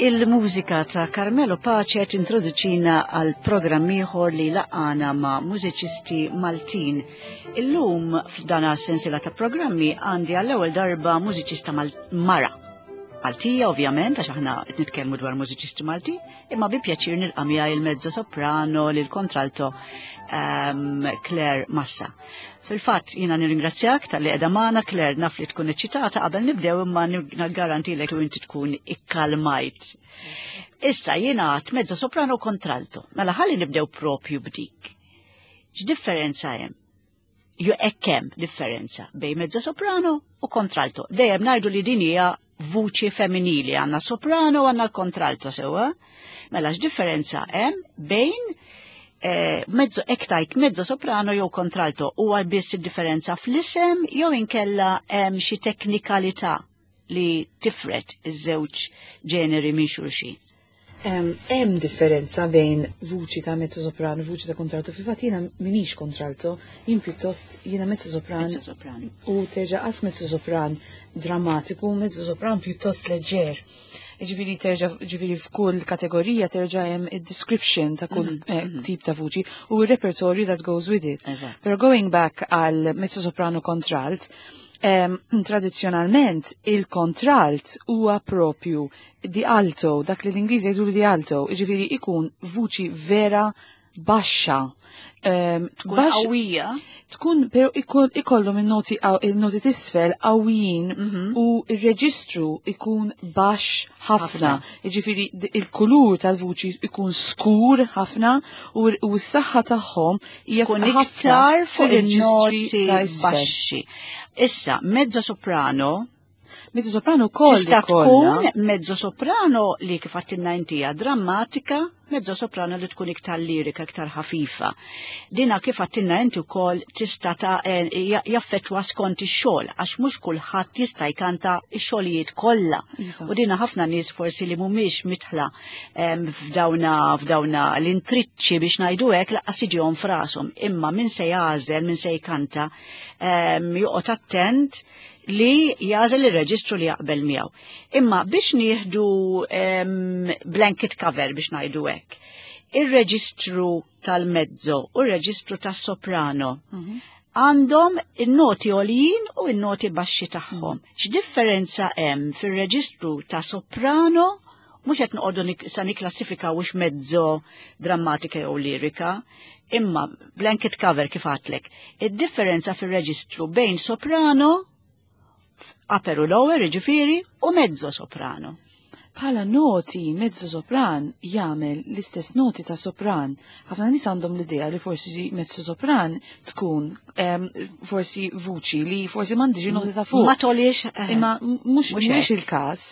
Il-mużika ta' Carmelo Pace tintroduċina għal programm ieħor li laqana ma' mużiċisti Maltin. Illum f'dan sensiela ta' programmi għandi għall-ewwel darba mużiċista mara. Maltija ovvjament għax aħna qed nitkellmu dwar mużiċisti Malti, imma bi pjaċir nilqa' miegħi il-mezzo soprano lil kontralto ehm, Claire Massa. Fil-fatt jiena nirringrazzjak tal-li qiegħda magħna Claire naf li tkun eċċitata qabel nibdew imma naggarantilek li inti tkun ikkalmajt. Issa jiena għat mezzo soprano kontralto. Mela ħalli nibdew propju b'dik. X'differenza hemm? Jo hekk hemm differenza bejn mezzo soprano u kontralto. Dejjem ngħidu li din hija vuċi femminili, għandna soprano u għandna l-kontralto sewwa. Mela x'differenza hemm bejn eh, mezzo ektajt mezzo soprano jew kontralto huwa biss id-differenza fl-isem jew inkella hemm xi teknikalità li tifret iż-żewġ ġeneri minn xulxin. Hemm differenza bejn vuċi ta' mezzo sopran u vuċi ta' kontralto. Fil-fatt jiena minix kontralto, jien pjuttost jiena mezzo sopran. Mezzo sopran. U terġa' qas mezzo sopran drammatiku, mezzo sopran pjuttost leġġer. Ġifieri terġa' ġifieri f'kull kategorija terġa' hemm id-description ta' kull mm -hmm. tip ta' vuċi u r-repertorju that goes with it. Pero going back għal mezzo soprano kontralt, tradizzjonalment il-kontralt huwa propju di alto, dak li l-Ingliżi jgħidu di alto, jiġifieri ikun vuċi vera baxxa. Um, tkun qawwija. Tkun però ikollhom in-noti il-noti tisfel qawwijin mm -hmm. u r-reġistru ikun baxx ħafna. Jiġifieri il-kulur tal-vuċi ikun skur ħafna u s-saħħa tagħhom hija tkun iktar fuq il-noti baxxi. Issa, mezzo soprano Mezzo soprano wkoll. Tista' tkun mezzo soprano li kif għattinna intija drammatika, mezzo soprano li tkun iktar lirika, iktar ħafifa. Dina kif għattinna inti wkoll tista' ta' eh, jaffettwa skont ix-xogħol għax mhux kulħadd jista' jkanta x-xogħlijiet kollha. Iva. U dina ħafna nies forsi li mhumiex mitħla f'dawna f'dawna l-intriċċi biex ngħidu hekk laqqas jiġihom frashom. Imma min se jagħżel, min se jkanta, joqgħod attent li jażel ir-reġistru li jaqbel miegħu. Imma biex nieħdu um, blanket cover biex ngħidu hekk. Ir-reġistru tal-mezzo u r-reġistru tas-soprano mhm. għandhom in-noti għoljin u n-noti baxxi tagħhom. Mhm. X'differenza hemm fir-reġistru ta' soprano mhux qed noqogħdu sa nikklassifikaw hux mezzo drammatika jew lirika, imma blanket cover kif għatlek. Id-differenza fir-reġistru bejn soprano, upper u lower, jiġifieri, u mezzo soprano. Bħala noti, mezzo sopran jagħmel l-istess noti ta' sopran. Ħafna nies għandhom l-idea li forsi mezzo sopran tkun forsi vuċi li forsi m'għandix noti ta' fuq. Ma tolix. Eh, Imma mhux mhux il-każ.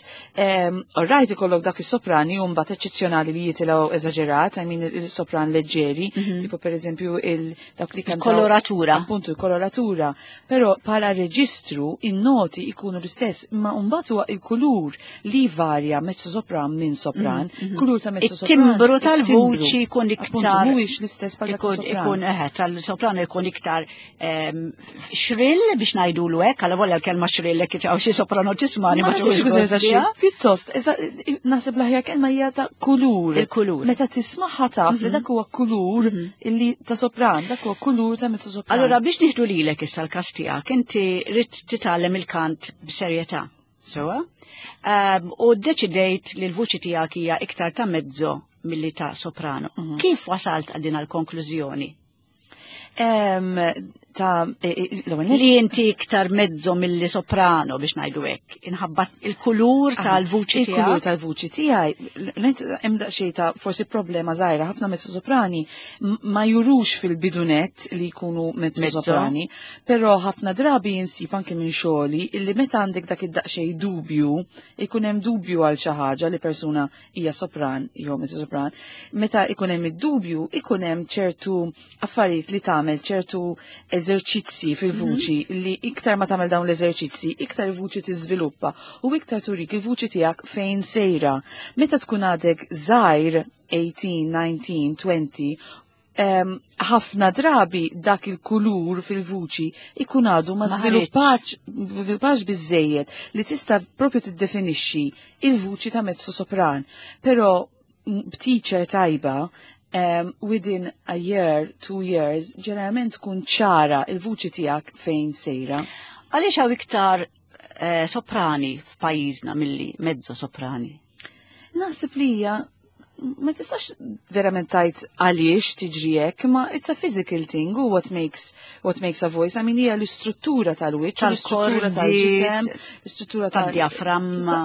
Orrajt ikollok dak is-soprani u mbagħad eċċezzjonali li jitilgħu eżaġerat, I mean il-sopran leġġeri, mhm. tipo pereżempju il dak li kemm koloratura. Appuntu il-koloratura. Però bħala reġistru in-noti ikunu l-istess, imma mbagħad huwa il-kulur li varja mezzo sopran minn sopran, mm, mhm. kulur ta' mezzo sopran. It-timbru tal-vuċi jkun iktar. Mhuwiex l-istess bħal sopran. Ikun eħe, tal-sopran ikun iktar ehm, xrill biex ngħidulu hekk, għal volja l-kelma xrill hekk hawn xi soprano tismani ma Pjuttost, naħseb l-aħjar kelma hija ta' kulur. Il-kulur. Meta tismaħħa taf li mhm. dak huwa kulur mhm. illi ta' sopran, dak huwa kulur ta' mezzo sopran. Allura biex nieħdu lilek issa l-każ tiegħek, inti rid titgħallem il-kant b'serjetà. Sewa? Um, u deċidejt li l-vuċi tiegħek hija iktar ta' mezzo milli ta' soprano. Mm -hmm. Kif wasalt għal din għal-konklużjoni? Um, ta' e, e, li inti iktar mezzo milli soprano biex ngħidu hekk. Inħabba il-kulur tal-vuċi tiegħek. Il-kulur tal-vuċi tiegħi, hemm daqsxejn ta' forsi problema żgħira, ħafna mezzo soprani ma jurux fil-bidunet li jkunu mezzo soprani, Però ħafna drabi insib anke minn xogħli illi meta għandek dak id-daqsxejn dubju, ikun hemm dubju għal xi ħaġa li persuna hija sopran jew mezzo sopran, meta ikun hemm id-dubju ikun hemm ċertu affarijiet li tagħmel ċertu eżerċizzi fil-vuċi mhm. li iktar ma tagħmel dawn l-eżerċizzi, iktar il-vuċi tiżviluppa u iktar turik il-vuċi tiegħek fejn sejra. Meta tkun għadek żgħir 18, 19, 20, Ħafna drabi dak il-kulur fil-vuċi ikun għadu ma żviluppax biżejjed li tista' propju tiddefinixxi il-vuċi ta' mezzo sopran. Però b'teacher tajba, within a year, 2 years, ġeneralment tkun ċara il-vuċi tiegħek fejn sejra. Għaliex hawn iktar soprani f'pajjiżna milli mezzo soprani? Naħseb li hija, ma tistax verament tgħid għaliex tiġri hekk, ma it's a physical thing u what makes a voice. I mean, hija l-istruttura tal-wiċċ, l-istruttura tal-ġisem, l-istruttura tal-diaframma.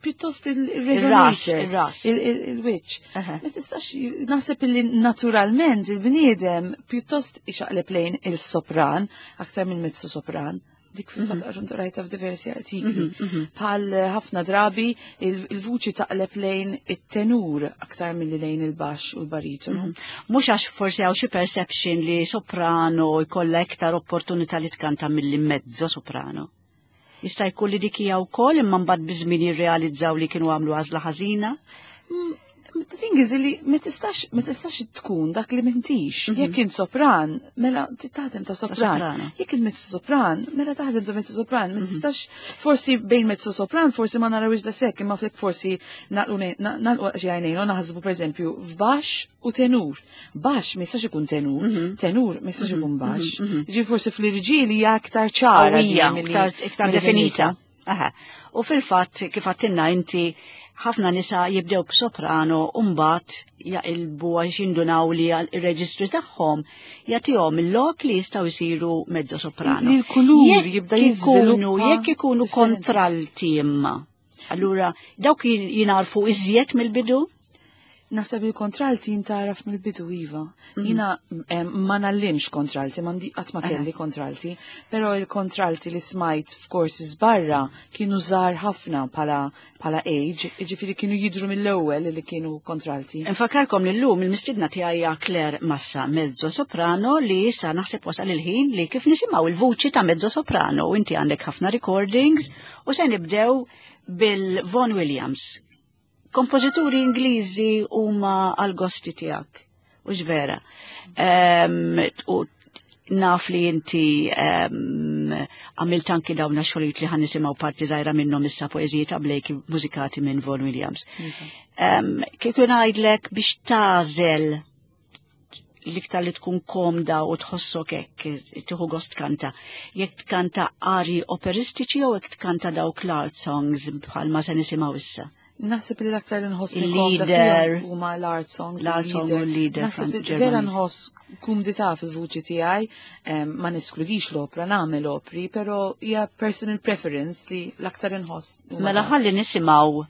Pjuttost il-resonators, il-wiċċ. Ma tistax, naħseb li naturalment il-bniedem pjuttost ixaqleb lejn il-sopran aktar minn mezzo sopran. Dik fil-fatt mm rajta f'diversi artikli. Bħal ħafna drabi il-vuċi taqleb lejn it-tenur aktar milli lejn il-baxx u l-baritonu. Mhux għax forsi hawn xi perception li soprano jkollha iktar opportunità li tkanta milli mezzo soprano? Jista' jkun li dik hija wkoll, imma mbagħad biż-żmien jirrealizzaw li kienu għamlu għażla ħażina? The thing is li ma tistax tkun dak li m'intix. Jekk int sopran, mela taħdem ta' sopran. Jekk int mezzo sopran, mela taħdem ta' mezzo sopran. Ma tistax, forsi bejn mezzo sopran, forsi ma narawx da sekk, imma flek forsi nagħlqu xi għajnejn u naħsbu, pereżempju, f'bax u tenur. Baxx ma jistax ikun tenur, tenur ma jistax ikun baxx. Ġi forsi fl-irġieli hija aktar ċara. Iktar definita. U fil-fatt, kif għedtilna inti, ħafna nisa jibdew b'soprano u mbagħad jaqilbu għax jindunaw li il-reġistri tagħhom jagħtihom il-lok li jistgħu jsiru mezzo soprano. Il-kulur jibda jiżviluppa. Jekk ikunu kontralti imma. Allura dawk jingħarfu iżjed mill-bidu? Naħseb il-kontralti jintaraf mill-bidu, iva. Jina ma ngħallimx kontralti, m'għandi qatt ma kelli kontralti, però il-kontralti li smajt f'courses barra kienu żgħar ħafna bħala age, jiġifieri kienu jidru mill-ewwel li kienu kontralti. Nfakkarkom li llum il-mistidna tiegħi Claire Massa, mezzo soprano, li issa naħseb wasal il-ħin li kif nisimgħu il-vuċi ta' mezzo soprano, u inti għandek ħafna recordings u se nibdew bil-Vaughan Williams. Kompożituri Ingliżi huma għal-gosti tiegħek, u vera. U naf li inti għamilt anki dawna xogħlijiet li ħa nisimgħu parti żgħira minnhom issa, poeżiji ta' Blake mużikati minn Vaughan Williams. Kieku ngħidlek biex tagħżel l-iktar li tkun komda u tħossok hekk tieħu gost tkanta. Jekk tkanta ari operistiċi jew jekk tkanta dawk l-art songs bħalma se nisimgħu issa? Naħseb li l-aktar li nħoss Il-lieder. huma l-art songs. L-art song u l-lieder. Naħseb li vera nħoss kumdità fil-vuċi tiegħi, ma neskludix l-opra, nagħmel opri, però hija personal preference li l-aktar nħoss huma Mela dawk. ħalli nisimgħu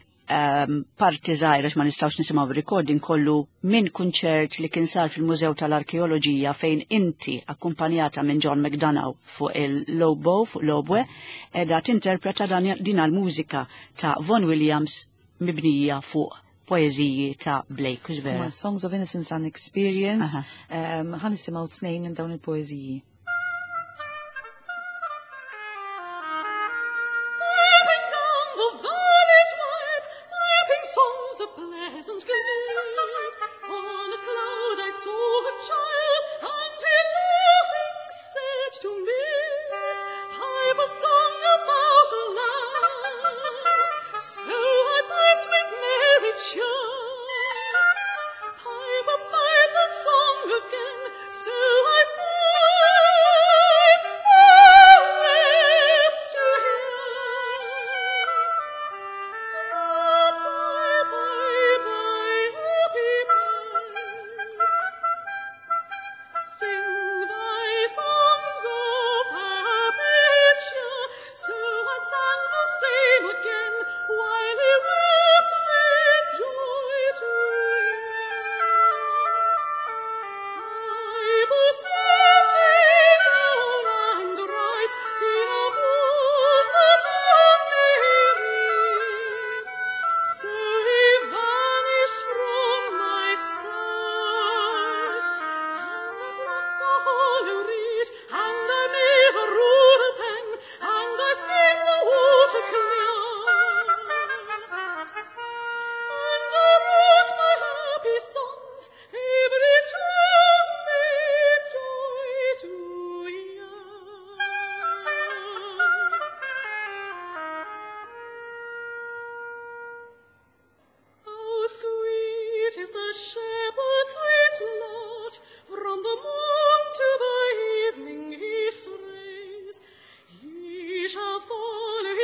parti żgħira, ma nistgħux nisimgħu recording kollu, minn kunċert li kien sar fil-Mużew tal-Arkeoloġija fejn inti akkumpanjata minn John McDonough fuq il-oboe, fuq l-oboe, edha tinterpreta din l-mużika ta' Vaughan Williams mibnija fuq poeżiji ta' Blake, hux vera? Huma Songs of Innocence and Experience. Ħa nisimgħu tnejn minn dawn il-poeżiji. Piping down the valleys wide, piping songs of pleasant glee. On a cloud I saw a child, and he laughing said to me, "Pipe a song about a lamb." So I piped with merry cheer. "Pipe a pipe that song again," so I piped, all lips to hear. Bye, bye, bye, happy pipe. Sing thy songs of happy cheer.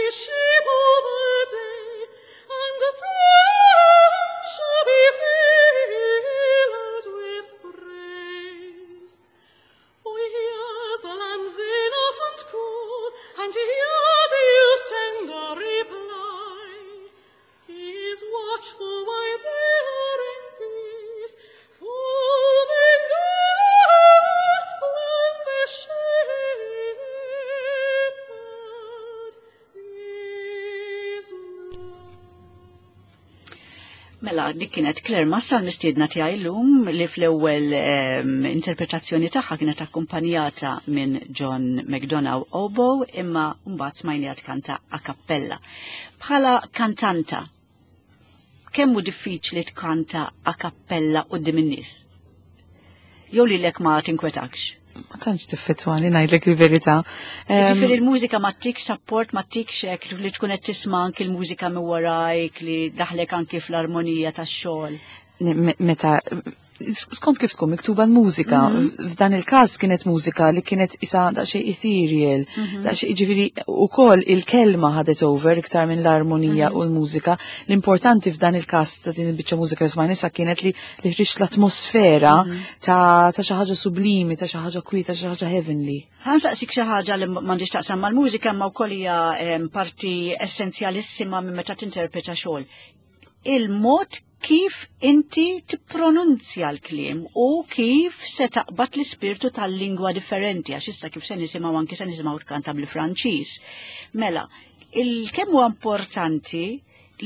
the sheep all the day, and the town shall be filled with praise. For he hears the lamb's innocent call, and he hears his tender reply. He is watchful while they are in peace, for they know when the shepherd is nigh. Mela, dik kienet Claire Massa l-mistiedna tiegħi llum li fl-ewwel interpretazzjoni tagħha kienet akkumpanjata minn John McDonough oboe, imma mbagħad smajniha tkanta a cappella. Bħala kantanta, kemm hu diffiċli tkanta a cappella quddiem in-nies? Jew lilek ma tinkwetakx? Ma tantx tiffettwani, ngħidlek il-verità. Ġifieri l-mużika ma ttikx support, ma ttikx hekk li tkun qed tisma' anki l-mużika minn warajk li daħlek anki fl-armonija tax-xogħol. Meta skont kif tkun miktuba l-mużika, f'dan il-każ kienet mużika li kienet isa daqsxejn ethereal, daqsxejn, ġifieri ukoll il-kelma ħadet over iktar minn l-armonija u l-mużika. L-importanti f'dan il-każ ta' din il-biċċa mużika li smajna issa kienet li ħriġt l-atmosfera ta' xi ħaġa sublimi, ta' xi ħaġa kwieta, xi ħaġa heavenly. Ħa nsaqsik xi ħaġa li m'għandix taqsam mal-mużika, imma wkoll hija parti essenzjalissima minn meta tinterpreta xogħol. Il-mod kif inti tippronunzja l-kliem u kif se taqbad l-ispirtu tal-lingwa differenti, għax issa kif se nisimgħu anki se nisimgħu tkanta bil-Franċiż. Mela, il-kemm huwa importanti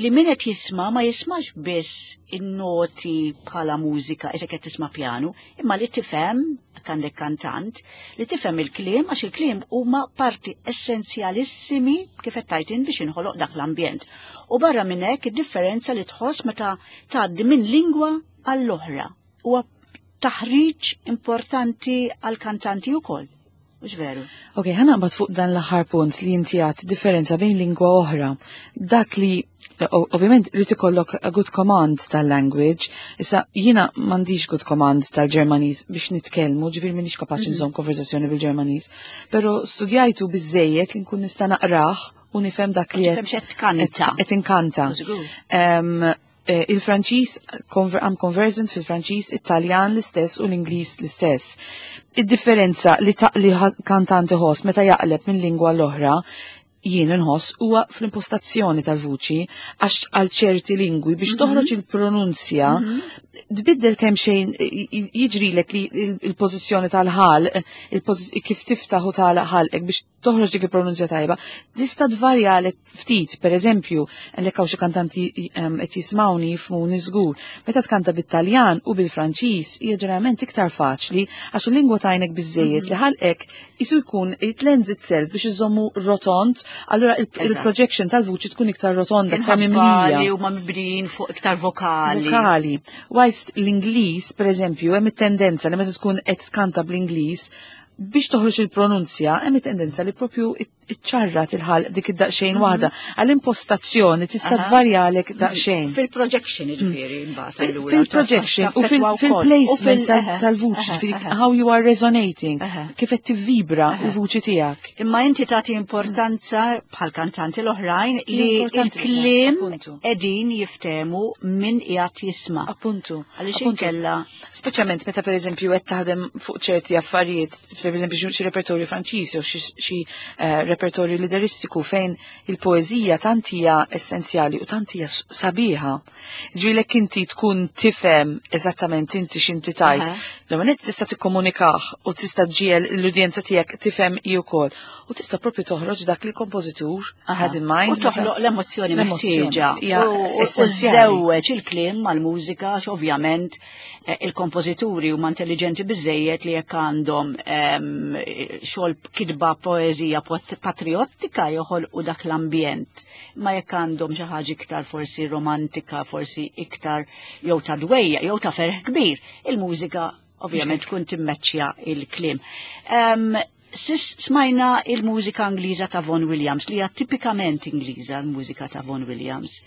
li min qed jisma' ma jismax biss in-noti bħala mużika, issa qed tisma' pjanu, imma li tifhem, għandek kantant, li tifhem il-kliem, għax il-kliem huma parti essenzjalissimi kif qed tajtin biex inħoloq dak l-ambjent. U barra minn hekk id-differenza li tħoss meta tgħaddi minn lingwa għall-oħra huwa taħriġ importanti għall-kantanti wkoll. Mhux veru? Ok, ħa naqbad fuq dan l-aħħar punt li inti għat differenza bejn lingwa oħra. Dak li, ovvjament, li ikollok a good command tal-language, issa jiena m'għandix good command tal-Ġermaniż biex nitkellmu, ġifieri m'iniex kapaċi nżomm konversazzjoni bil-Ġermaniż, però studjajtu biżejjed li nkun nista' naqrah u nifhem dak li Tifhem x'qed tkanta. Qed inkanta. Żgur. Il-Franċiż, I'm conversant fil-Franċiż, Italjan l-istess u l-Ingliż l-istess. Id-differenza li kantanti ħoss meta jaqleb minn lingwa l-oħra, jien inħoss huwa fl-impostazzjoni tal-vuċi, għax għal ċerti lingwi biex toħroġ il-pronunzja tbiddel kemm xejn, jiġrilek li il-pożizzjoni tal-ħalq, kif tiftaħ u tagħlaq ħalqek biex toħroġ dik il-pronunzja tajba, tista' tvarjalek ftit. Per eżempju, għalhekk hawn xi kantanti qed jismawni jifhmuni żgur. Meta tkanta bit-Taljan u bil-Franċiż hija ġeneralment iktar faċli għax il-lingwa tajnek biżejjed li ħalqek isu jkun it lends itself biex iżommu rotond, allura il-projection tal-vuċi tkun iktar rotonda, iktar Inħabba mimlija. li huma mibnijin fuq iktar vokali. Vokali. Whilst l-Ingliż, per eżempju, hemm it-tendenza li meta tkun qed tkanta bl-Ingliż, biex toħroġ il-pronunzja, hemm it-tendenza li propju iċċarrat il-ħalq dik id-daqsxejn waħda. Għall-impostazzjoni tista' tvarjalek daqsxejn. Fil-projection, ġifieri, mbagħad allura, Fil-projection u taffettwa wkoll. fil-placement U tal-vuċi, ġifieri how you are resonating, kif qed tivvibra l-vuċi tiegħek. Imma inti tagħti importanza bħal kantanti l-oħrajn li Importanti li il-kliem appuntu. qegħdin jiftemu min qiegħed jisma'. Għaliex inkella Speċjalment meta per eżempju qed taħdem fuq ċerti affarijiet, per eżempju xi repertorju Franċiż jew xi repertorju lideristiku fejn il-poeżija tant hija essenzjali u tant hija sabiħa. Ġifieri inti tkun tifhem eżattament inti x'inti tajt. L-ewwel nett tista' tikkomunikah u tista' ġiel l-udjenza tiegħek tifhem hi wkoll. U tista' propju toħroġ dak li kompożitur had in mind. U toħloq l-emozzjoni L-emozzjoni meħtieġa. hija U essenzjali. żewweġ il-kliem mal-mużika, għax ovvjament il-kompożituri huma intelligenti biżejjed li jekk għandhom xogħol kitba poeżija patriottika joħolqu dak l-ambjent. Ma jekk għandhom xi ħaġa iktar forsi romantika, forsi iktar jew ta' dwejja, jew ta' ferħ kbir, il-mużika ovvjament tkun timmeċċja il-kliem. Sis smajna il-mużika Ingliża ta' Vaughan Williams, li hija tipikament Ingliża l-mużika ta' Vaughan Williams.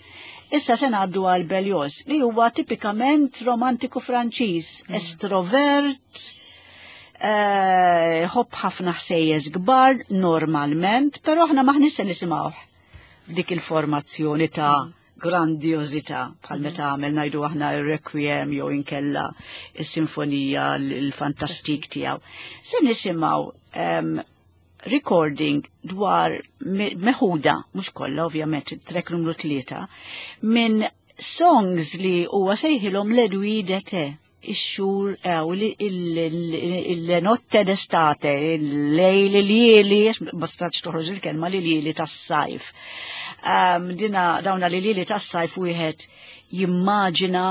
Issa se ngħaddu għal Berlioz, li huwa tipikament romantiku Franċiż, estrovert, ħobb ħafna ħsejjes kbar normalment, però aħna maħniex se nisimgħuh. f'dik il-formazzjoni ta' grandjozità bħal meta għamel ngħidu aħna ir-Requiem jew inkella is-sinfonija l-fantastik tiegħu. Se nisimgħu recording dwar meħuda, mhux kollha ovvjament, track numru 3, minn songs li huwa sejħilhom l-Edwi d'été, ix-xhur il-notte d'estate, il-lejl il-lieli, ma stax toħroġ il-kelma li lieli tas-sajf. Dina dawna li lieli tas-sajf wieħed jimmaġina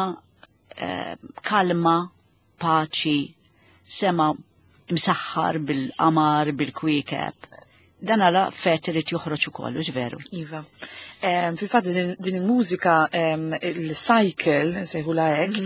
kalma, paċi, sema msaħħar bil-qamar, bil-kwiekeb. Dan għala fet irid joħroġ ukoll, hux veru? Iva. Fil-fatt din il-mużika, il-cycle, nsejħula hekk,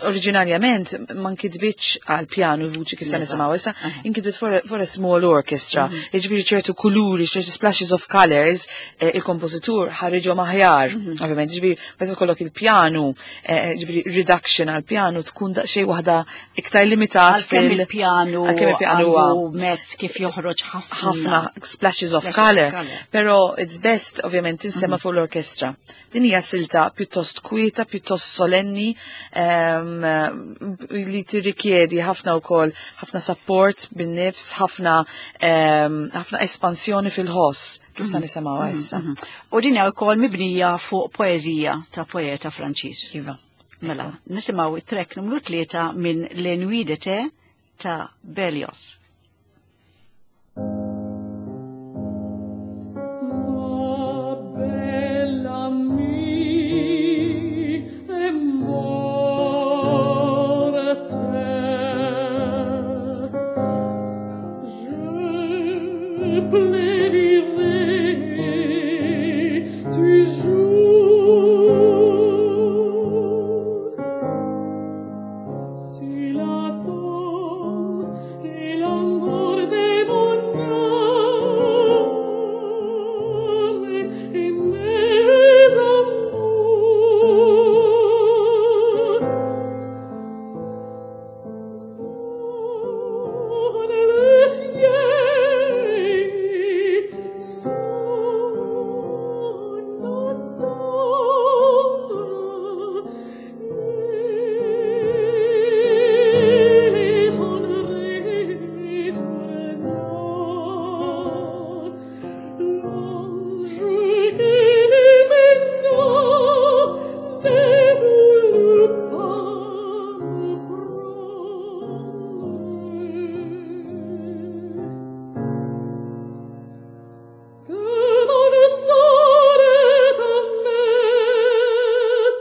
oriġinarjament ma nkitbitx għal pjanu vuċi kif se nisimgħu issa, inkitbit for a small orchestra. Jiġifieri ċertu kuluri, ċertu splashes of colors, il-kompożitur ħariġhom aħjar. Ovvjament, jiġifieri meta tkollok il-pjanu, jiġifieri reduction għal pjanu tkun daqsxejn waħda iktar limitat. Għalkemm il-pjanu għalkemm il-pjanu huwa għandu mezz kif joħroġ ħafna ħafna splashes of color, pero it's best ovvjament tinstema' fuq l-orkestra. Din hija silta pjuttost kwieta, pjuttost solenni, li tirrikjedi ħafna wkoll ħafna support bin-nifs, ħafna espansjoni fil-ħoss, kif sa nisimgħu issa. U din hija wkoll mibnija fuq poeżija ta' poeta Franċiż. Iva. Mela, nisimgħu it-track numru 3 minn Les Nuits d'été ta' Berlioz. Ma belle amie est morte. Je plaidirai toujours sur la tombe et l'amour de mon âme et mes amours. Dans le ciel, son attendre, et son retourna. L'ange qui maintenant ne voulut pas me prendre. Que mon sort est amer.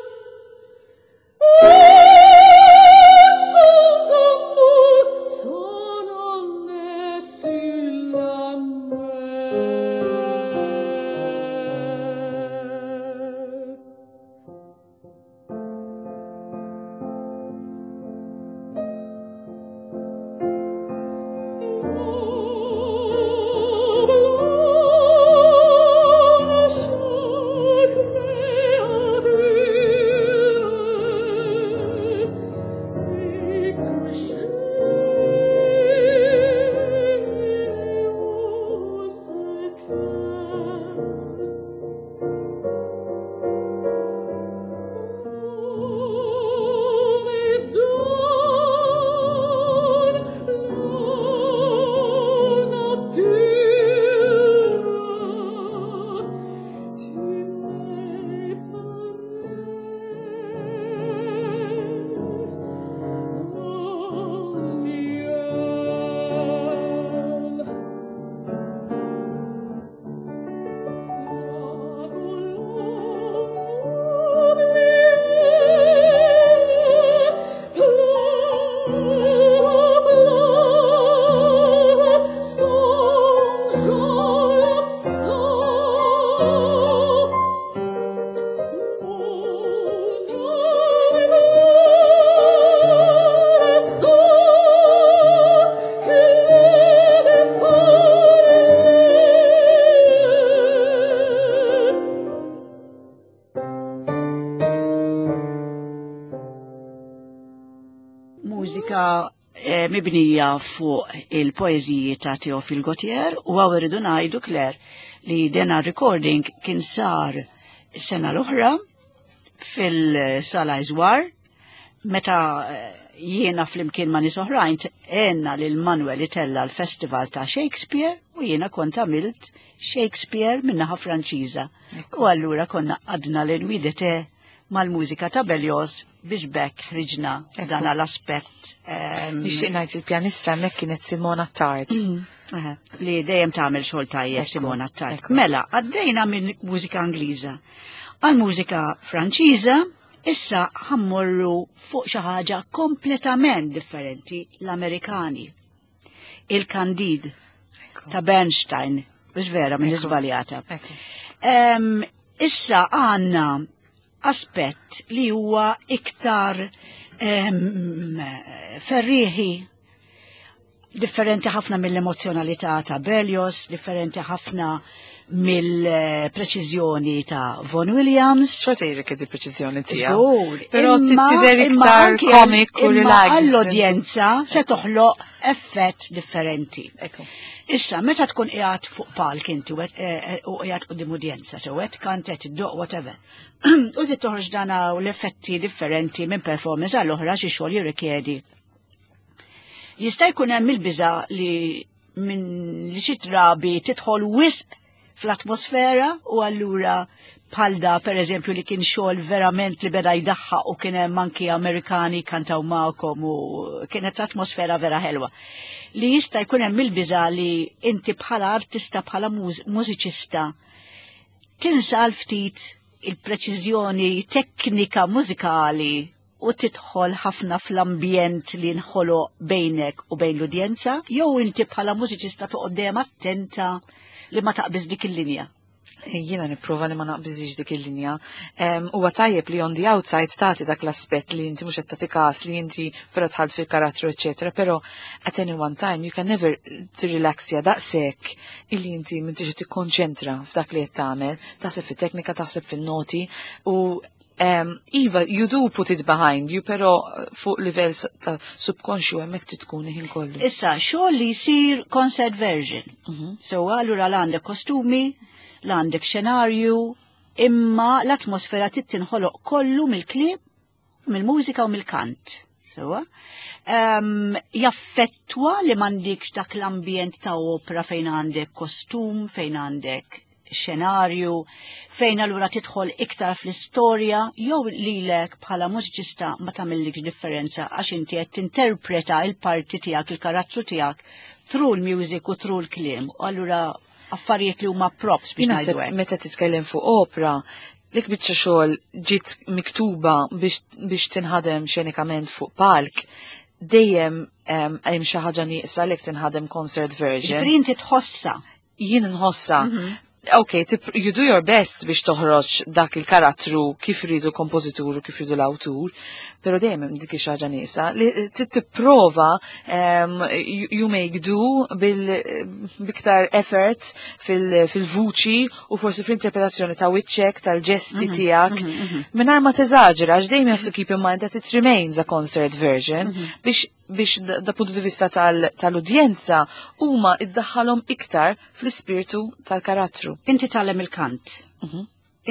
Oh, sans amour, s'en aller sur la mer. Blanche créature, et couchée au secret. Oh, mais donne la nature, tu m'es pareil, mon miel. La colombe pleure, pleure, songe l'absent. Mon âme sans qu'elle ait parlé. Mużika mibnija fuq il-poeżiji ta' Teofil Gautier u hawn irridu ngħidu, Claire, li dena recording kien sar sena l-oħra fil-Sala Iżwar meta jiena flimkien ma' nies oħrajn għenna lil Manuel itella l-Festival ta' Shakespeare u jiena kont għamilt Shakespeare min-naħa Franċiża. U allura konna għadna lil Widete mal-mużika ta' Berlioz biex bekk ħriġna dan l-aspett. Nixtieq ngħid il-pjanista hemmhekk kienet Simona Tard. Li dejjem tagħmel xogħol tajjeb Simona Tard. Mela, għaddejna minn mużika Ingliża għal mużika Franċiża, issa ħa mmorru fuq xi ħaġa kompletament differenti, l-Amerikani. Il-Candide ta' Bernstein, biex vera minn iżbaljata. Issa għandna aspett li huwa iktar ferriħi, differenti ħafna mill-emozjonalità ta' Berlioz, differenti ħafna mill-preċiżjoni ta' Vaughan Williams. Xorta jirrikjedi preċiżjoni tiegħu. Żgur. Però tidher iktar comic u relaxed. Għall-udjenza se toħloq effett differenti. Issa, meta tkun qiegħed fuq palk inti u qiegħed quddiem udjenza, sew qed kant, qed iddoq, whatever. U trid toħroġ dana u l-effetti differenti minn performance għall oħra xi xogħol jirrikjedi. Jista' jkun hemm il-biża li minn li xi drabi tidħol wisq fl-atmosfera u allura bħal da per eżempju li kien xogħol verament li beda jdaħħaq u kien hemm anki Amerikani kantaw magħkom u kienet l-atmosfera vera ħelwa. Li jista' jkun hemm il-biża li inti bħala artista, bħala mużiċista tinsa ftit il-preċiżjoni teknika mużikali u tidħol ħafna fl-ambjent li nħoloq bejnek u bejn l-udjenza, jew inti bħala mużiċista toqgħod dejjem attenta li ma taqbiż dik il-linja? Jiena nipprova li ma naqbiżix dik il-linja. Huwa tajjeb li on the outside tagħti dak l-aspett li inti mhux qed tagħti każ li inti vera dħalt fil-karattru, eċetera, però at any one time you can never tirrilaxja daqshekk illi inti m'intix qed tikkonċentra f'dak li qed tagħmel, taħseb fit-teknika, taħseb fin-noti u iva, you do put it behind you, pero fuq livell ta' subconscious hemmhekk trid tkun ħin kollu. Issa, xogħol li jsir concert version. So, allura l għandek kostumi, l għandek xenarju, imma l-atmosfera trid tinħoloq kollu mill-kliem, mill-mużika u mill-kant. Sewa. Jaffettwa li m'għandikx dak l-ambjent ta' opera fejn għandek kostum, fejn għandek xenarju, fejn allura tidħol iktar fl-istorja, jew lilek bħala mużiċista ma tagħmillikx differenza għax inti qed tinterpreta il-parti tiegħek, il-karattru tiegħek through l-music u through l-kliem. U allura affarijiet li huma props biex Jien ngħidu hekk. Meta titkellem fuq opera, dik biċċa xogħol ġiet miktuba biex tinħadem xenikament fuq palk, dejjem hemm xi ħaġa nieqsa li tinħadem concert version. Ġifieri inti tħossa. Jien nħossa. Ok, you do your best biex toħroġ dak il-karattru kif ridu l-kompożitur u kif ridu l-awtur, pero dejjem hemm dik ix-ħaġa nieqsa li tipprova you make do biktar effort fil-vuċi u forsi fl-interpretazzjoni ta' wiċċek, tal-ġesti tiegħek, mingħajr ma teżaġera, għax dejjem you have to keep in mind that it remains a concert version biex da puntu di vista tal-udjenza huma iddaħħalhom iktar fl-ispirtu tal-karattru. Inti tgħallem il-kant.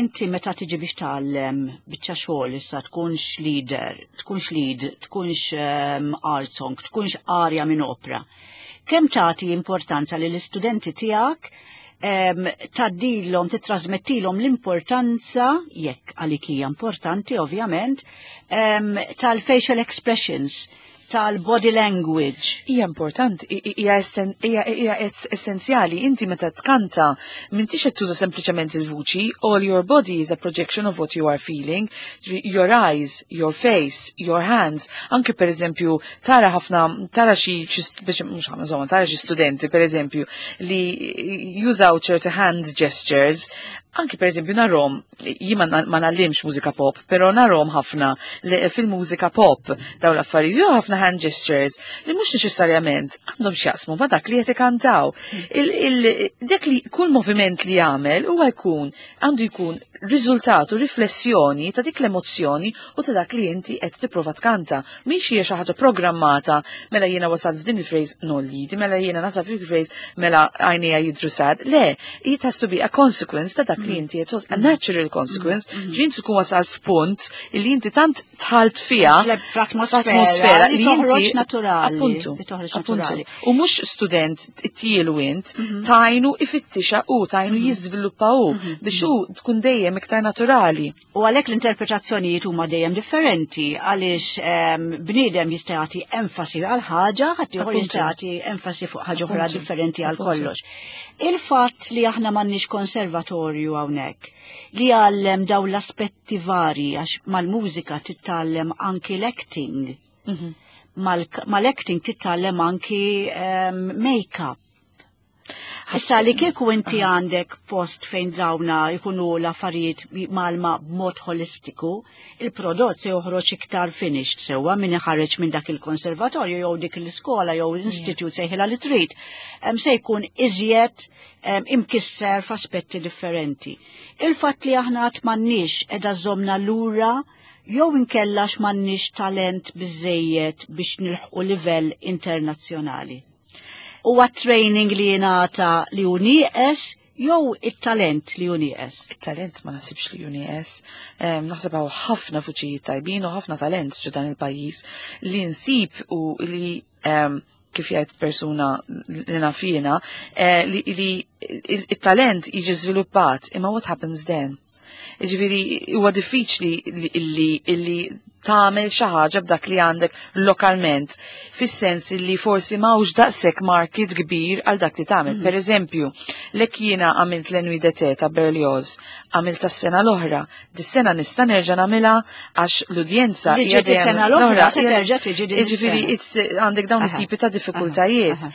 Inti meta tiġi biex tgħallem biċċa xogħol issa tkunx leader, tkunx lead, tkunx art song, tkunx arja minn opera. Kemm tagħti importanza li l-istudenti tiegħek tgħaddilhom, titrasmettilhom l-importanza, jekk għalik hija importanti ovvjament, tal-facial expressions, tal-body language? Hija importanti, hija essenzjali. Inti meta tkanta, m'intix qed tuża sempliċement il-vuċi, all your body is a projection of what you are feeling. Your eyes, your face, your hands. Anke per eżempju, tara ħafna, tara xi, biex mhux ħafna, insomma, tara xi studenti per eżempju li jużaw ċerti hand gestures. Anki per eżempju narahom, jien ma ngħallimx mużika pop, pero narahom ħafna fil-mużika pop dawn l-affarijiet, jew ħafna hand gestures li mhux neċessarjament għandhom x'jaqsmu ma dak li qed ikantaw. Dak li kull moviment li jagħmel huwa jkun għandu jkun riżultat u riflessjoni ta' dik l-emozzjoni u ta' dak li inti qed tipprova tkanta. Mhix hija xi ħaġa programmata mela jiena wasalt f'din il-phrase nollidi, mela jiena nasal f'dik il-phrase mela għajnejja jidru sad. Le, it has to be a consequence ta' dak li inti qed a natural consequence, ġi inti tkun wasalt f'punt li inti tant tħalt fiha fl-atmosfera li toħroġ naturali. Appuntu. Naturali. U mhux student tielu int, mhm. tajnu ifittixa u tajnu mhm. jiżviluppa u mhm. biex hu tkun dejjem iktar naturali. U għalhekk l-interpretazzjonijiet huma dejjem differenti għaliex ehm, bniedem jista' jagħti enfasi għal ħaġa, ħadd ieħor jista' jagħti enfasi fuq ħaġa oħra differenti għal kollox. Il-fatt li aħna m'għandniex konservatorju hawnhekk li għallem daw l-aspetti vari għax mal-mużika titgħallem anki l-acting. Mhm. Mal-acting titgħallem anki ehm, make-up. Issa li kieku inti għandek post fejn dawna jkunu l-affarijiet malma b'mod holistiku, il-prodott se joħroġ iktar finished sewwa min iħareġ minn dak il-konservatorju jew dik l-iskola jew l-istitut sejħilha li trid, se jkun iżjed imkisser f'aspetti differenti. Il-fatt li aħna għad m'għandniex qiegħda żomna lura jew inkella m'għandniex talent biżejjed biex nilħqu livell internazzjonali. Huwa training li jingħata li hu nieqes jew it-talent li hu nieqes? It-talent ma nasibx li hu nieqes. Naħseb hawn ħafna fuċijiet tajbin u ħafna talent ġo dan il-pajjiż li nsib u li kif jgħid persuna li nafina, eh, li il-talent jiġi żviluppat, imma what happens then? Ġifieri huwa diffiċli li tagħmel xi ħaġa b'dak li għandek lokalment, fis-sens li forsi m'hawnx daqshekk market kbir għal dak li tagħmel. Mm. Per eżempju, lek jiena għamilt l d'été ta' Berlioz, għamilt tas-sena l-oħra, dis-sena nista' nerġa' nagħmilha għax l-udjenza hija sena l-oħra se terġa' tiġi din. Ġifieri għandek dawn it-tipi ta' diffikultajiet.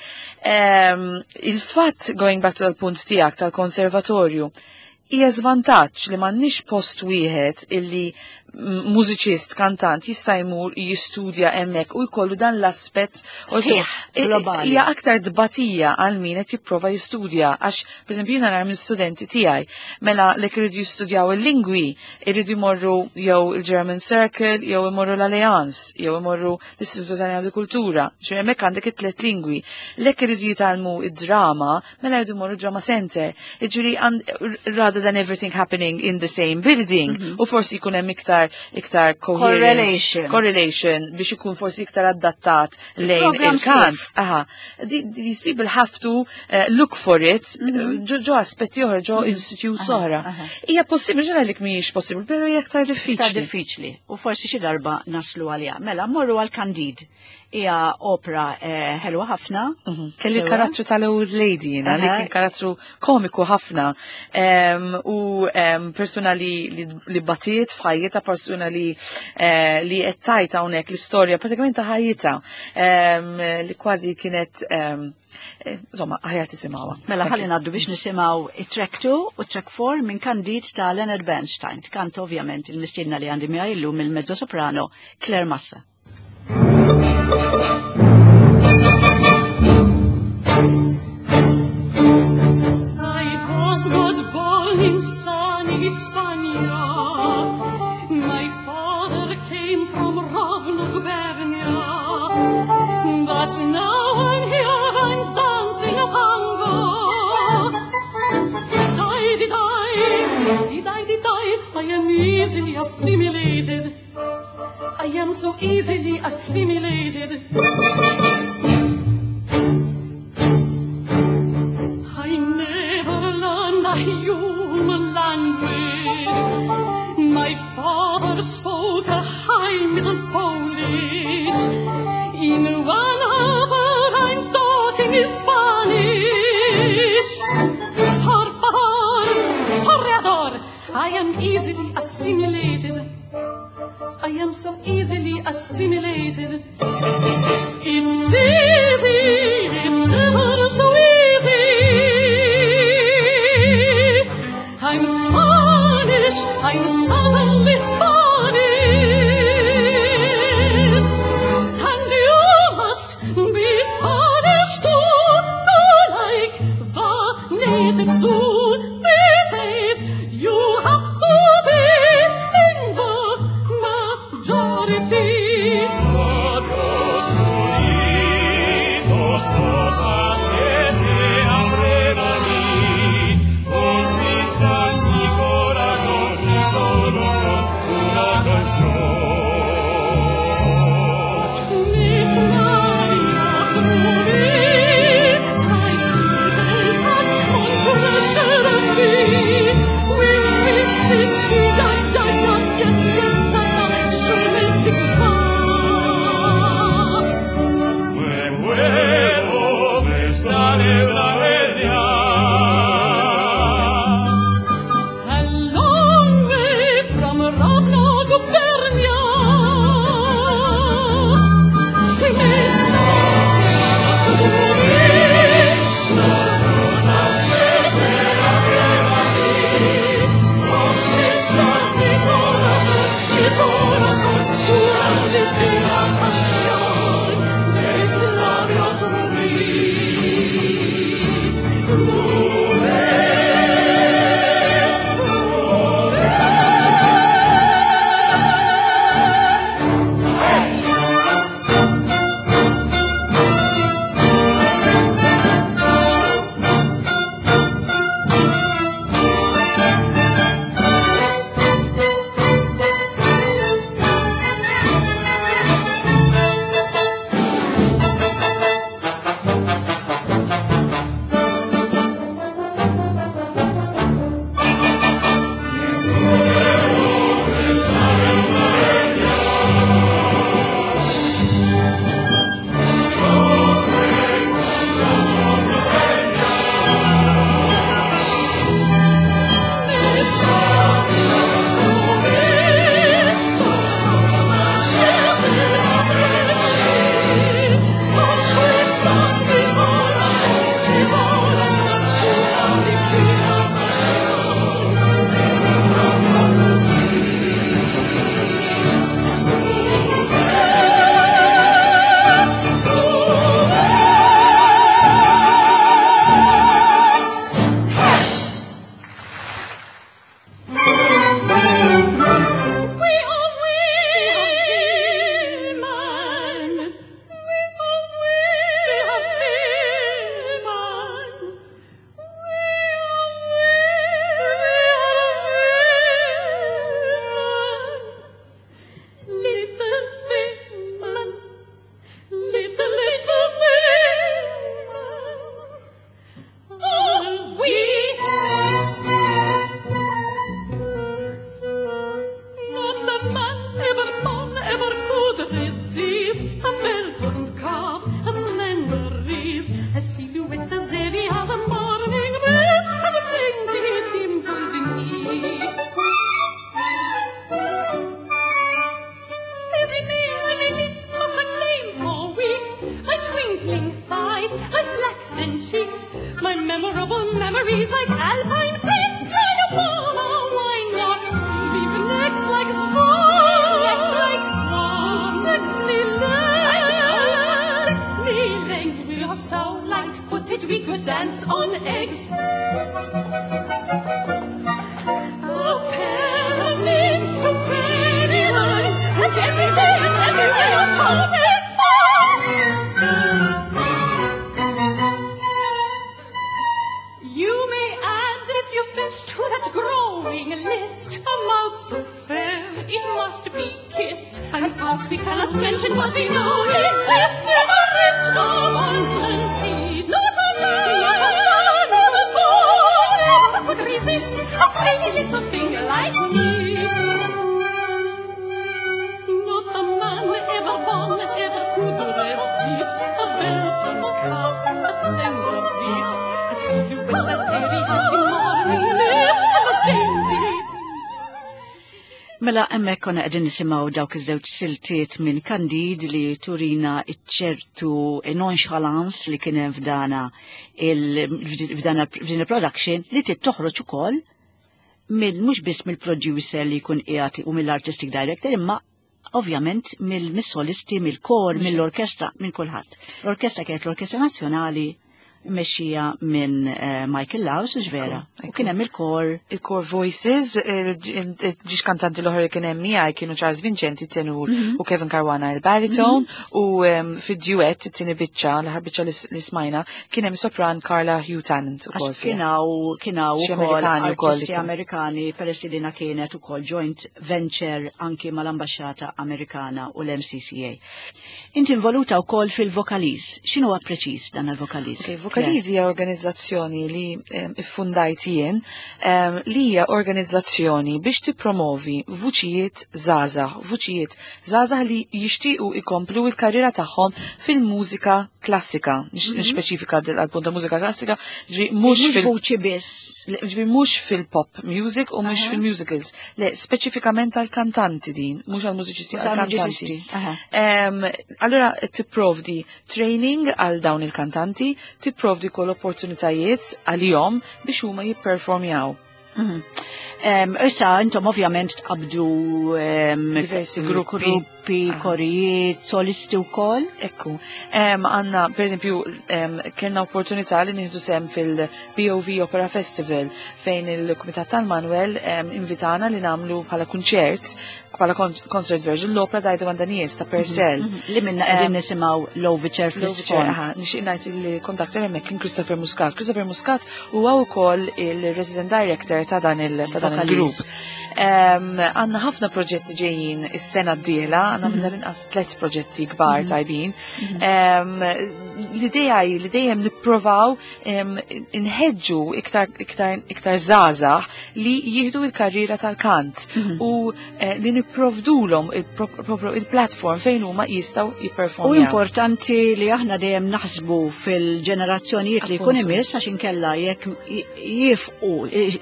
Il-fatt going back to l-punt tiegħek tal-konservatorju, hija żvantaġġ li m'għandniex post wieħed illi mużiċist, kantant jista' jmur jistudja hemmhekk u jkollu dan l-aspett globali. Hija aktar dbatija għal min qed jipprova jistudja għax pereżempju jiena nara minn studenti tiegħi mela li iridu jistudjaw il-lingwi, iridu jmorru jew il-German Circle, jew imorru l-Alliance, jew imorru l-Istitut Taljan di Kultura, ċe hemmhekk għandek it-tliet lingwi. Lek iridu jitgħallmu id-drama, mela jridu jmorru Drama Center. Jiġifieri rather than everything happening in the same building, mm -hmm. u forsi jkun hemm iktar iktar correlation. correlation biex ikun forsi iktar adattat lejn il-kant. Aha, these people have to look for it mhm. ġo aspetti oħra, ġo mhm. institutes oħra. Hija possibbli ġara li mhijiex possibbli, però hija aktar diffiċli. Iktar diffiċli. U forsi xi darba naslu għaliha. Mela, morru għal Candide. Hija opera eh, ħelwa ħafna. Mhm. Kelli karattru tal-old lady jiena, li kien karattru komiku ħafna. U persuna li, li batiet f'ħajjitha, persuna li eh, li qed tajt hawnhekk l-istorja pratikament ta' ħajjitha li kważi kienet eh, insomma, aħjar tisimgħuha. Mela ħalli ngħaddu biex nisimgħu it-track 2 u track 4 minn Candide ta' Leonard Bernstein. Kant ovvjament il-mistiedna li għandi miegħi llum il-mezzo soprano Claire Massa. I was not born in sunny Spania. My father came from Rovno Gubernia. But now I'm here, I'm dancing a tango. Die, di, die, di, die, di, die, I am easily assimilated. I am so easily assimilated. I never learned a human language. My father spoke a high middle Polish. In one hour I'm talking in Spanish. Por favor, corredor, I am easily assimilated. I am so easily assimilated. It's easy, it's ever so easy. I'm Spanish, I'm suddenly Spanish. And you must be Spanish too, do like the natives do. These days you have to solo una canción. Mis labios rubí, traen contre chérie. Oui, oui, si, si, ya, ya, ya, yes, yes, da, da, je ne sais pas. Me muero, me sale una hernia. A long way from Rovno gubernia. Mis labios rubí, las rosas que se la Conquista mi corazón y solo con una divina pasión. Mis labios rubí, rubí, rubí. Mis labios rubí, las rosas que se la Conquistan mi corazón y solo con una divina pasión. Mis labios rubí, rubí, rubí. We are women. We are women. We are women. Little women. Little, little women. All we. Not a man ever born ever could resist a well-formed calf, a slender wrist, a silhouette as airy as a morning mist, and a dainty dimpled knee. Every male I may meet must acclaim for weeks my twinkling thighs, my flaxen cheeks, my memorable memories like alpine peaks, and a wine locks, leave necks like swans, necks like swans, sexy legs, sexy legs. We are so light-footed we could dance on eggs. A pair of nymphs from fairy lands, and every day and everywhere our charms expand. You may add, if you wish, to that growing list, a mouth so fair it must be kissed, and parts we cannot mention, but we know exist in a rich abundance. Not a man, not a man, ever born, ever could resist a crazy little thing like me. Not a man ever born ever could resist a well-turned calf, a slender wrist, a silhouette as airy as the morning mist, and a dainty Mela hemmhekk konna qegħdin nisimgħu dawk iż-żewġ siltiet minn Candide li turina ċertu nonchalance li kien hemm f'dana f'dana f'din il-production li trid toħroġ ukoll mill mhux biss mill-producer li jkun qiegħed u mill-artistic director imma ovvjament mill-solisti, mill-kor, mill-orkestra, minn kulħadd. L-orkestra kienet l-Orkestra Nazzjonali Mexxija minn eh, Michael Laws, vera. U kien hemm il-kor. Il-kor Voices, il-ġiex kantanti l-oħra li kien hemm miegħi kienu Charles Vincenti tenur mhm. u Kevin Caruana il-baritone mhm. u fid-duet it-tieni biċċa, l-aħħar biċċa li smajna, kien hemm sopran Carla Hugh Tannant ukoll. Kien hawn kien hawn ukoll artisti Amerikani peress li dina kienet ukoll joint venture anki mal-Ambaxxata Amerikana u l-MCCA. Inti involuta wkoll fil-Vokaliz. X'inhuwa preċiż dan il-Vokaliz? Okay, Vokaliz hija organizzazzjoni li iffundajt jien li hija organizzazzjoni biex tippromovi vuċijiet żgħażagħ, vuċijiet żgħażagħ li jixtiequ ikomplu l-karriera tagħhom fil-mużika klassika, mhm. nispeċifika għal-punt ta' mużika klassika, ġvi mhux fil-vuċi biss. Ġvi mhux fil-pop music u mhux fil-musicals. Le, speċifikament għal-kantanti din, mhux għal-mużiċisti, għal-kantanti. Allura tipprovdi training għal dawn il-kantanti, tipprovdi kol opportunitajiet għalihom biex huma jipperformjaw. Mhm. Issa intom ovvjament tqabdu diversi gruppi, gruppi korijiet, solisti wkoll. Ekku. Għanna, per eżempju, kellna opportunità li nieħdu sem fil-BOV Opera Festival fejn il-Kumitat tal-Manuel invitana li namlu bħala kunċert, bħala concert version l-opera Dajdu Għandanies ta' Purcell. Mhm, mhm. Li minna qegħdin nisimgħu l-Overture fl-isfond. Nixtieq ngħid il-conductor hemmhekk kien Christopher Muscat. Christopher Muscat Huwa wkoll il-resident director ta' dan il-grupp. Għanna ħafna proġetti ġejjin is-sena d-dieħla, għanna minn mhm. tal-inqas tliet proġetti kbar mhm. tajbin. Mhm. L-idea hi li dejjem nipprovaw inħeġġu iktar iktar iktar żgħażagħ li jieħdu l-karriera tal-kant u eh, li nipprovdulhom il-platform fejn huma jistgħu jipperformjaw. U importanti li aħna dejjem naħsbu fil-ġenerazzjonijiet li jkun imiss għax inkella jekk jifqu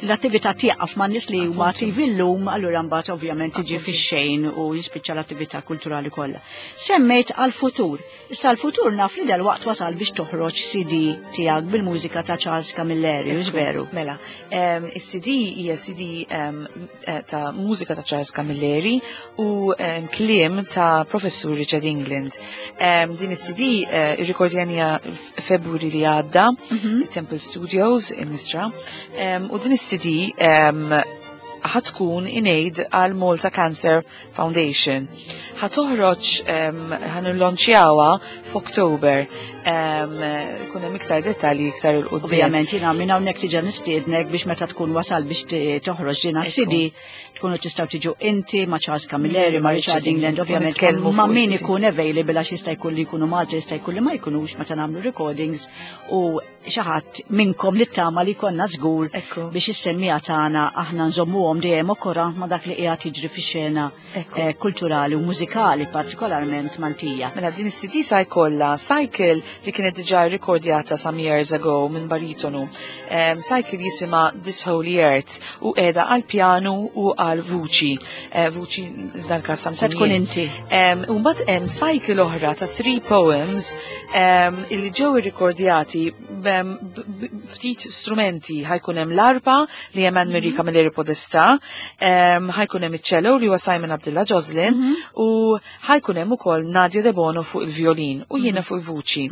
l-attività tieqaf ma' nies li huma attivi llum, allura mbagħad ovvjament tiġi fix-xejn u jispiċċa l-attività kulturali kollha. Semmejt għal-futur. Issa l-futur naf li dalwaqt wasal biex toħroġ CD tiegħek bil-mużika ta' Charles Camilleri, hux veru? Mela, is-CD hija CD eh, ta' mużika ta' Charles Camilleri u kliem ta' Professur Richard England. Din is-CD eh, irrikordjanija f'Februari li għadda, mhm. Temple Studios in Mistra, u din is-CD ħatkun in aid għal Malta Cancer Foundation. Ħa toħroġ ħa nillonċjawha f'Oktober. Kun hemm iktar dettalji iktar il quddiem. Ovvjament jiena minn hawnhekk tiġa nistiednek biex meta tkun wasal biex toħroġ dina CD tkunu tistgħu tiġu inti ma' Charles Camilleri, ma' Richard England, ovvjament ma' min ikun available għax jista' jkun li jkunu Malta jista' jkun li ma jkunux meta nagħmlu recordings u xi ħadd minnkom li tama li konna żgur biex is-semmija tagħna aħna nżommuhom dejjem okora ma' dak li qiegħed jiġri fix-xena eh, kulturali u mużikali partikolarment Maltija. Mela din is-CD sa jkollha cycle li kienet diġà rrekordjata some years ago minn baritonu. Um, cycle jisimha This Holy Earth u qiegħda għal pjanu u għal vuċi. Eh, vuċi f'dan każ Se tkun inti. U mbagħad hemm cycle oħra ta' three poems illi ġew irrikordjati ftit strumenti ħajkun hemm l-arpa li hemm Anne Marie mhm. Camilleri Podesta, ħajkun hemm iċ-cello li huwa Simon Abdullah Joslin mhm. u ħajkun hemm ukoll Nadia De Bono fuq il-violin u jiena mhm. fuq il-vuċi.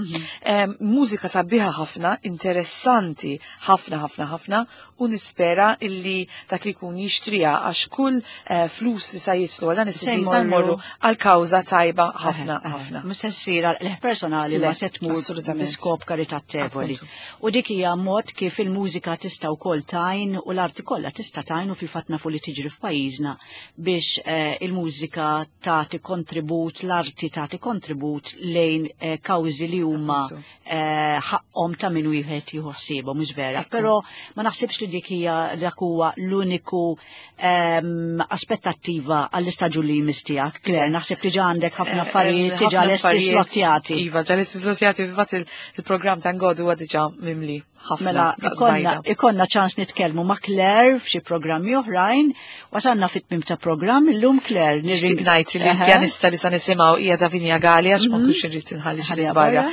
Mużika sabiħa ħafna, interessanti ħafna ħafna ħafna u nispera illi dak li jkun jixtriha għax kull eh, flus li sa jitlu għal dan is-CD sa jmorru għal kawża tajba ħafna ħafna. Mhux se ssir għal personali ma se tmur bi skop karitatevoli. U dik hija mod kif il-mużika tista' wkoll tajn u l-arti kollha tista' tajn u fil-fatt nafu li tiġri f'pajjiżna biex eh, il-mużika tagħti kontribut, l-arti tagħti kontribut lejn eh, kawżi li huma Eh, ħaqhom ta' min wieħed jieħu ħsiebhom mhux vera. Però ma naħsibx li dik hija dak huwa l-uniku ehm, aspettattiva għall-istaġun li jmiss tiegħek. Claire, naħseb diġà għandek ħafna eh, affarijiet diġà lesti slotjati. Iva, ġa lesti slotjati, fil-fatt il-programm ta' Ngodu huwa diġà mimli. Ħafna. Mela, ikonna ċans nitkellmu ma' Claire f'xi programmi oħrajn, wasanna fit-tmim ta' programm illum Claire. Nixtieq ngħid li l-pjanista li sa nisimgħu hija Davinia Galli għax ma nkunx irrid inħalli xi żbarja.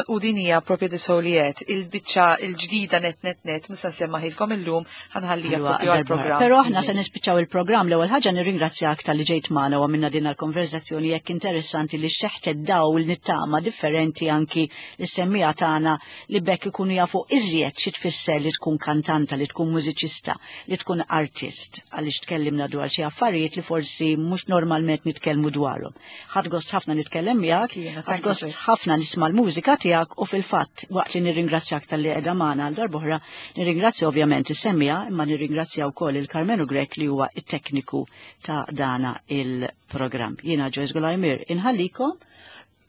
U din hija propju di Soliet, il-biċċa il-ġdida net net net mhux se nsemmaħilkom illum ħanħallija propju għall-programm. Però aħna se nispiċċaw il-programm l-ewwel ħaġa nirringrazzjak talli ġejt magħna u għamilna din il-konverzazzjoni jekk interessanti li xeħtet dawl nittama differenti anki lis-semmiegħa tagħna li bekk ikunu jafu iżjed xi tfisser li tkun kantanta, li tkun mużiċista, li tkun artist, għaliex tkellimna dwar xi affarijiet li forsi mhux normalment nitkellmu dwarhom. Ħadd gost ħafna nitkellem miegħek, ħadd gost ħafna nisma' l-mużika tiegħek u fil-fatt waqt li nirringrazzjak talli qiegħda magħna għal darb'oħra, nirringrazzja ovvjament is-semmiegħa imma nirringrazzja wkoll il-Karmenu Grech li huwa it-tekniku ta' dana il-programm. Jiena Joyce Gulajmir inħallikom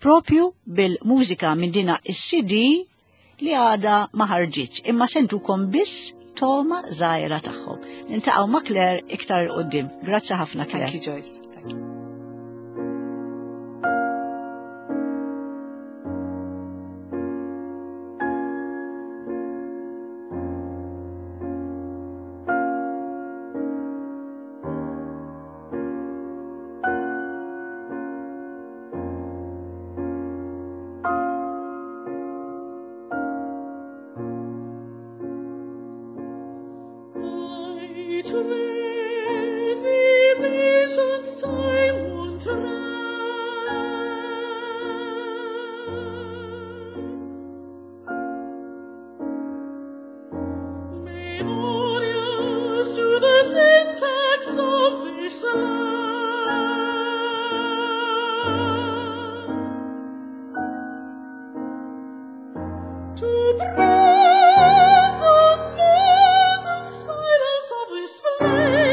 propju bil-mużika minn dina is-CD li għada ma ħarġitx, imma sentukom biss toma żgħira tagħhom. Nintaqgħu ma' Claire iktar 'il quddiem. Grazzi ħafna Claire. Thank you Joyce. Thank you. To breathe the silence of this place.